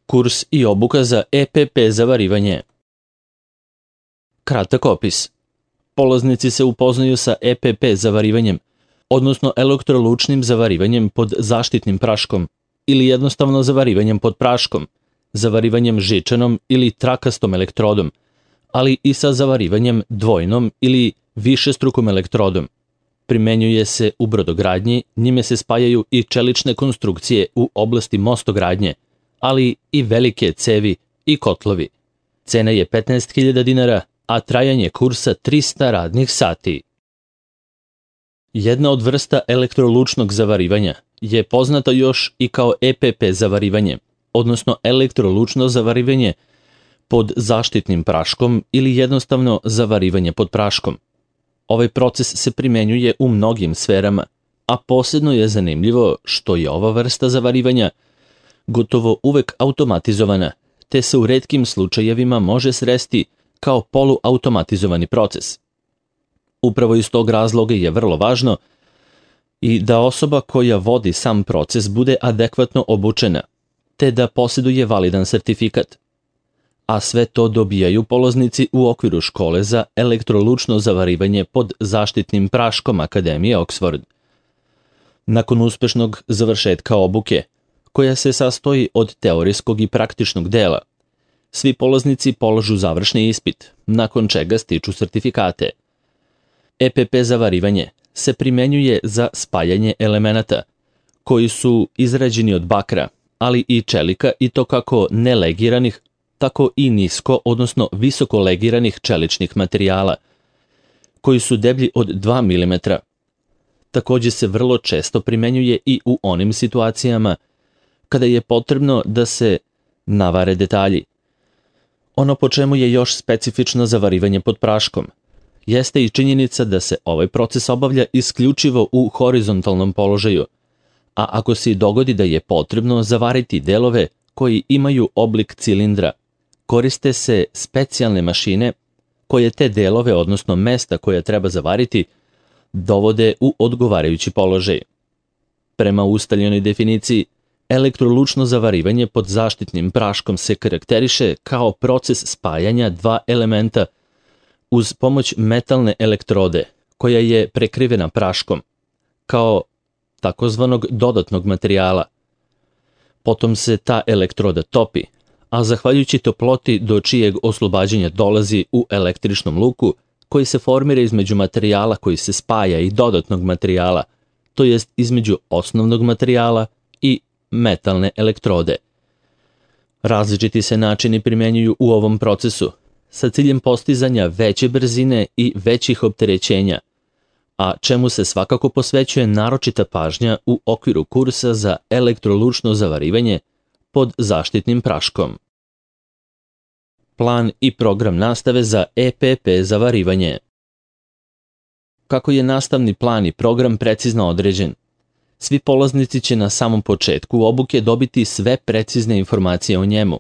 Kurs i obuka za EPP zavarivanje. Kratak opis. Polaznici se upoznaju sa EPP zavarivanjem, odnosno elektrolučnim zavarivanjem pod zaštitnim praškom ili jednostavno zavarivanjem pod praškom, zavarivanjem žičanom ili trakastom elektrodom, ali i sa zavarivanjem dvojnom ili višestrukom elektrodom. Primenjuje se u brodogradnji, njime se spajaju i čelične konstrukcije u oblasti mostogradnje, ali i velike cevi i kotlovi. Cena je 15.000 dinara, a trajanje kursa 300 radnih sati. Jedna od vrsta elektrolučnog zavarivanja je poznata još i kao EPP zavarivanje, odnosno elektrolučno zavarivanje pod zaštitnim praškom ili jednostavno zavarivanje pod praškom. Ovaj proces se primenjuje u mnogim sferama, a posebno je zanimljivo što je ova vrsta zavarivanja gotovo uvek automatizovana, te se u retkim slučajevima može sresti kao poluautomatizovani proces. Upravo iz tog razloga je vrlo važno i da osoba koja vodi sam proces bude adekvatno obučena, te da posjeduje validan sertifikat. A sve to dobijaju polaznici u okviru škole za elektrolučno zavarivanje pod zaštitnim praškom Akademije Oxford. Nakon uspešnog završetka obuke, koja se sastoji od teorijskog i praktičnog dela, svi polaznici polažu završni ispit, nakon čega stiču sertifikate. EPP zavarivanje se primenjuje za spajanje elemenata, koji su izrađeni od bakra, ali i čelika, i to kako nelegiranih, tako i nisko, odnosno visoko legiranih čeličnih materijala, koji su deblji od 2 mm. Također se vrlo često primenjuje i u onim situacijama kada je potrebno da se navare detalji. Ono po čemu je još specifično zavarivanje pod praškom jeste i činjenica da se ovaj proces obavlja isključivo u horizontalnom položaju, a ako se dogodi da je potrebno zavariti delove koji imaju oblik cilindra, koriste se specijalne mašine koje te delove, odnosno mesta koja treba zavariti, dovode u odgovarajući položaj. Prema ustaljenoj definiciji, elektrolučno zavarivanje pod zaštitnim praškom se karakteriše kao proces spajanja dva elementa uz pomoć metalne elektrode koja je prekrivena praškom, kao takozvanog dodatnog materijala. Potom se ta elektroda topi, a zahvaljujući toploti do čijeg oslobađanja dolazi u električnom luku koji se formira između materijala koji se spaja i dodatnog materijala, to jest između osnovnog materijala i metalne elektrode. Različiti se načini primjenjuju u ovom procesu sa ciljem postizanja veće brzine i većih opterećenja, a čemu se svakako posvećuje naročita pažnja u okviru kursa za elektrolučno zavarivanje pod zaštitnim praškom. Plan i program nastave za EPP zavarivanje. Kako je nastavni plan i program precizno određen, svi polaznici će na samom početku obuke dobiti sve precizne informacije o njemu,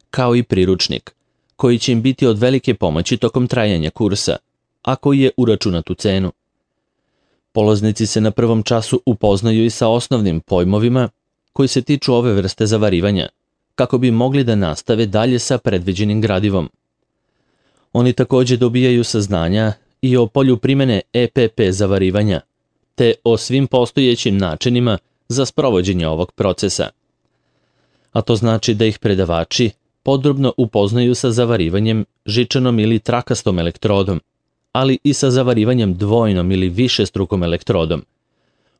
kao i priručnik, koji će im biti od velike pomoći tokom trajanja kursa, a koji je uračunat u cenu. Polaznici se na prvom času upoznaju i sa osnovnim pojmovima koji se tiču ove vrste zavarivanja, kako bi mogli da nastave dalje sa predviđenim gradivom. Oni također dobijaju saznanja i o polju primene EPP zavarivanja, te o svim postojećim načinima za sprovođenje ovog procesa. A to znači da ih predavači podrobno upoznaju sa zavarivanjem žičanom ili trakastom elektrodom, ali i sa zavarivanjem dvojnom ili višestrukom elektrodom,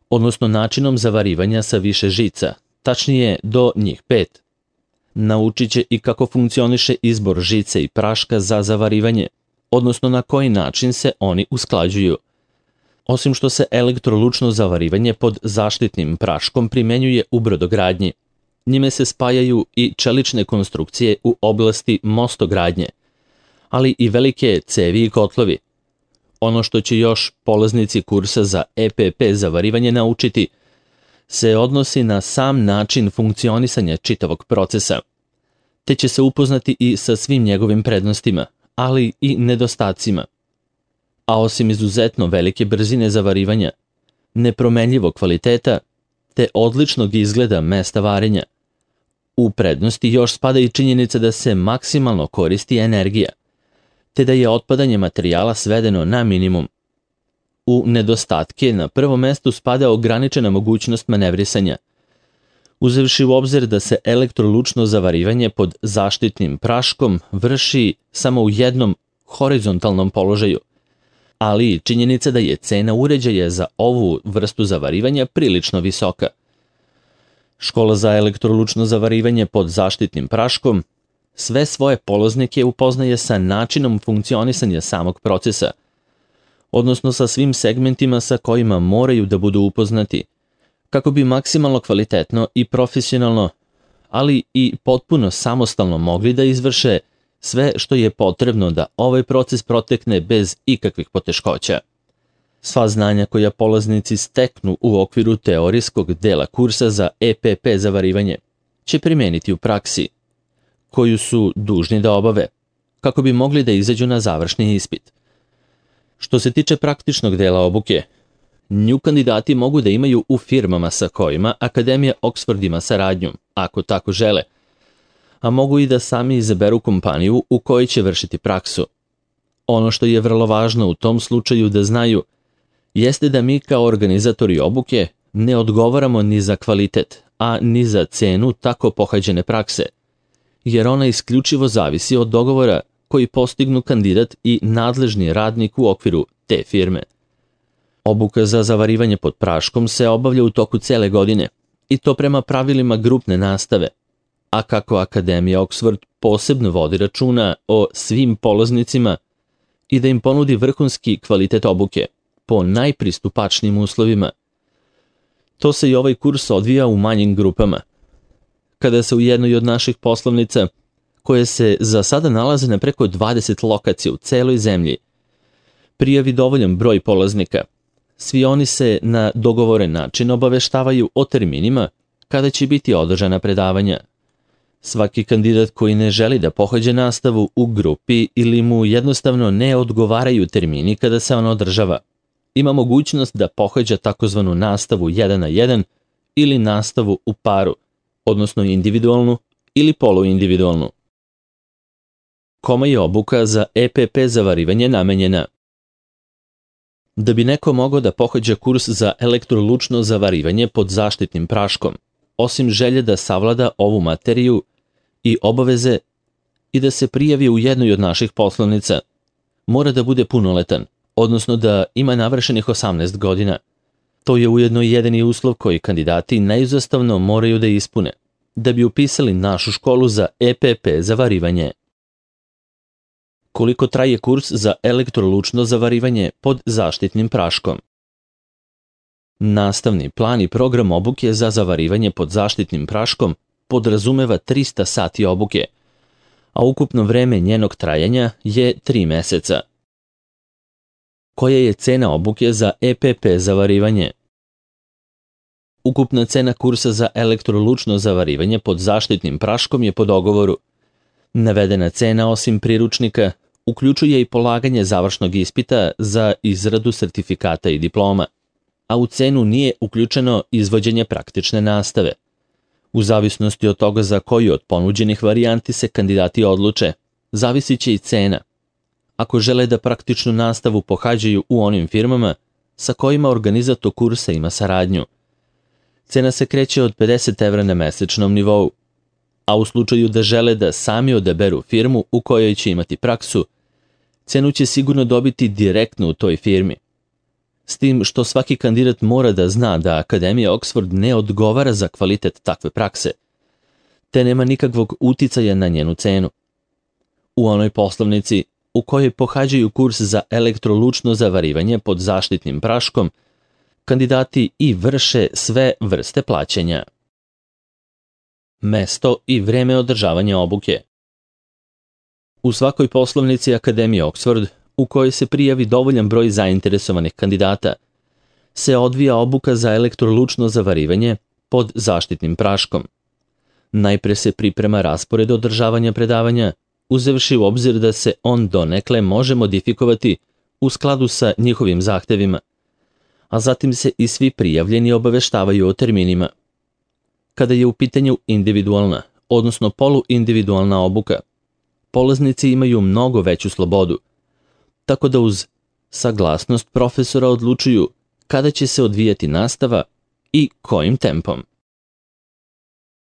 odnosno načinom zavarivanja sa više žica, tačnije do njih 5. Naučit će i kako funkcioniše izbor žice i praška za zavarivanje, odnosno na koji način se oni usklađuju. Osim što se elektrolučno zavarivanje pod zaštitnim praškom primenjuje u brodogradnji, njime se spajaju i čelične konstrukcije u oblasti mostogradnje, ali i velike cevi i kotlovi. Ono što će još polaznici kursa za EPP zavarivanje naučiti se odnosi na sam način funkcionisanja čitavog procesa, te će se upoznati i sa svim njegovim prednostima, ali i nedostacima. A osim izuzetno velike brzine zavarivanja, nepromenljivog kvaliteta, te odličnog izgleda mesta varenja, U prednosti još spada i činjenica da se maksimalno koristi energija, te da je otpadanje materijala svedeno na minimum. U nedostatke na prvo mesto spada ograničena mogućnost manevrisanja. Uzevši u obzir da se elektrolučno zavarivanje pod zaštitnim praškom vrši samo u jednom horizontalnom položaju, ali i činjenica da je cena uređaja za ovu vrstu zavarivanja prilično visoka. Škola za elektrolučno zavarivanje pod zaštitnim praškom sve svoje polaznike upoznaje sa načinom funkcionisanja samog procesa, odnosno sa svim segmentima sa kojima moraju da budu upoznati, kako bi maksimalno kvalitetno i profesionalno, ali i potpuno samostalno mogli da izvrše sve što je potrebno da ovaj proces protekne bez ikakvih poteškoća. Sva znanja koja polaznici steknu u okviru teorijskog dela kursa za EPP zavarivanje će primeniti u praksi, koju su dužni da obave, kako bi mogli da izađu na završni ispit. Što se tiče praktičnog dela obuke, nju kandidati mogu da imaju u firmama sa kojima Akademija Oxford ima saradnju, ako tako žele, a mogu i da sami izaberu kompaniju u kojoj će vršiti praksu. Ono što je vrlo važno u tom slučaju da znaju jeste da mi kao organizatori obuke ne odgovaramo ni za kvalitet, a ni za cenu tako pohađene prakse, jer ona isključivo zavisi od dogovora koji postignu kandidat i nadležni radnik u okviru te firme. Obuka za zavarivanje pod praškom se obavlja u toku cele godine, i to prema pravilima grupne nastave, a kako Akademija Oxford posebno vodi računa o svim polaznicima i da im ponudi vrhunski kvalitet obuke po najpristupačnijim uslovima. To se i ovaj kurs odvija u manjim grupama. Kada se u jednoj od naših poslovnica, koje se za sada nalaze na preko 20 lokacija u celoj zemlji, prijavi dovoljan broj polaznika, svi oni se na dogovoren način obaveštavaju o terminima kada će biti održana predavanja. Svaki kandidat koji ne želi da pohađa nastavu u grupi ili mu jednostavno ne odgovaraju termini kada se ona održava, ima mogućnost da pohađa takozvanu nastavu 1 na 1 ili nastavu u paru, odnosno individualnu ili poluindividualnu. Kome je obuka za EPP zavarivanje namenjena? Da bi neko mogao da pohađa kurs za elektrolučno zavarivanje pod zaštitnim praškom, osim želje da savlada ovu materiju i obaveze i da se prijavi u jednoj od naših poslovnica, mora da bude punoletan, odnosno da ima navršenih 18 godina. To je ujedno jedini uslov koji kandidati neizostavno moraju da ispune, da bi upisali našu školu za EPP zavarivanje. Koliko traje kurs za elektrolučno zavarivanje pod zaštitnim praškom? Nastavni plan i program obuke za zavarivanje pod zaštitnim praškom podrazumeva 300 sati obuke, a ukupno vreme njenog trajanja je 3 meseca. Koja je cena obuke za EPP zavarivanje? Ukupna cena kursa za elektrolučno zavarivanje pod zaštitnim praškom je po dogovoru. Navedena cena, osim priručnika, uključuje i polaganje završnog ispita za izradu sertifikata i diploma, a u cenu nije uključeno izvođenje praktične nastave. U zavisnosti od toga za koju od ponuđenih varijanti se kandidati odluče, zavisit će i cena. Ako žele da praktičnu nastavu pohađaju u onim firmama sa kojima organizator kursa ima saradnju, cena se kreće od 50 evra na mesečnom nivou, a u slučaju da žele da sami odaberu firmu u kojoj će imati praksu, cenu će sigurno dobiti direktno u toj firmi. S tim što svaki kandidat mora da zna da Akademija Oxford ne odgovara za kvalitet takve prakse, te nema nikakvog uticaja na njenu cenu. U onoj poslovnici u kojoj pohađaju kurs za elektrolučno zavarivanje pod zaštitnim praškom, kandidati i vrše sve vrste plaćanja. Mesto i vreme održavanja obuke. U svakoj poslovnici Akademije Oxford, u kojoj se prijavi dovoljan broj zainteresovanih kandidata, se odvija obuka za elektrolučno zavarivanje pod zaštitnim praškom. Najpre se priprema raspored održavanja predavanja, uzevši u obzir da se on donekle može modifikovati u skladu sa njihovim zahtevima, a zatim se i svi prijavljeni obaveštavaju o terminima. Kada je u pitanju individualna, odnosno poluindividualna obuka. Polaznici imaju mnogo veću slobodu, tako da uz saglasnost profesora odlučuju kada će se odvijati nastava i kojim tempom.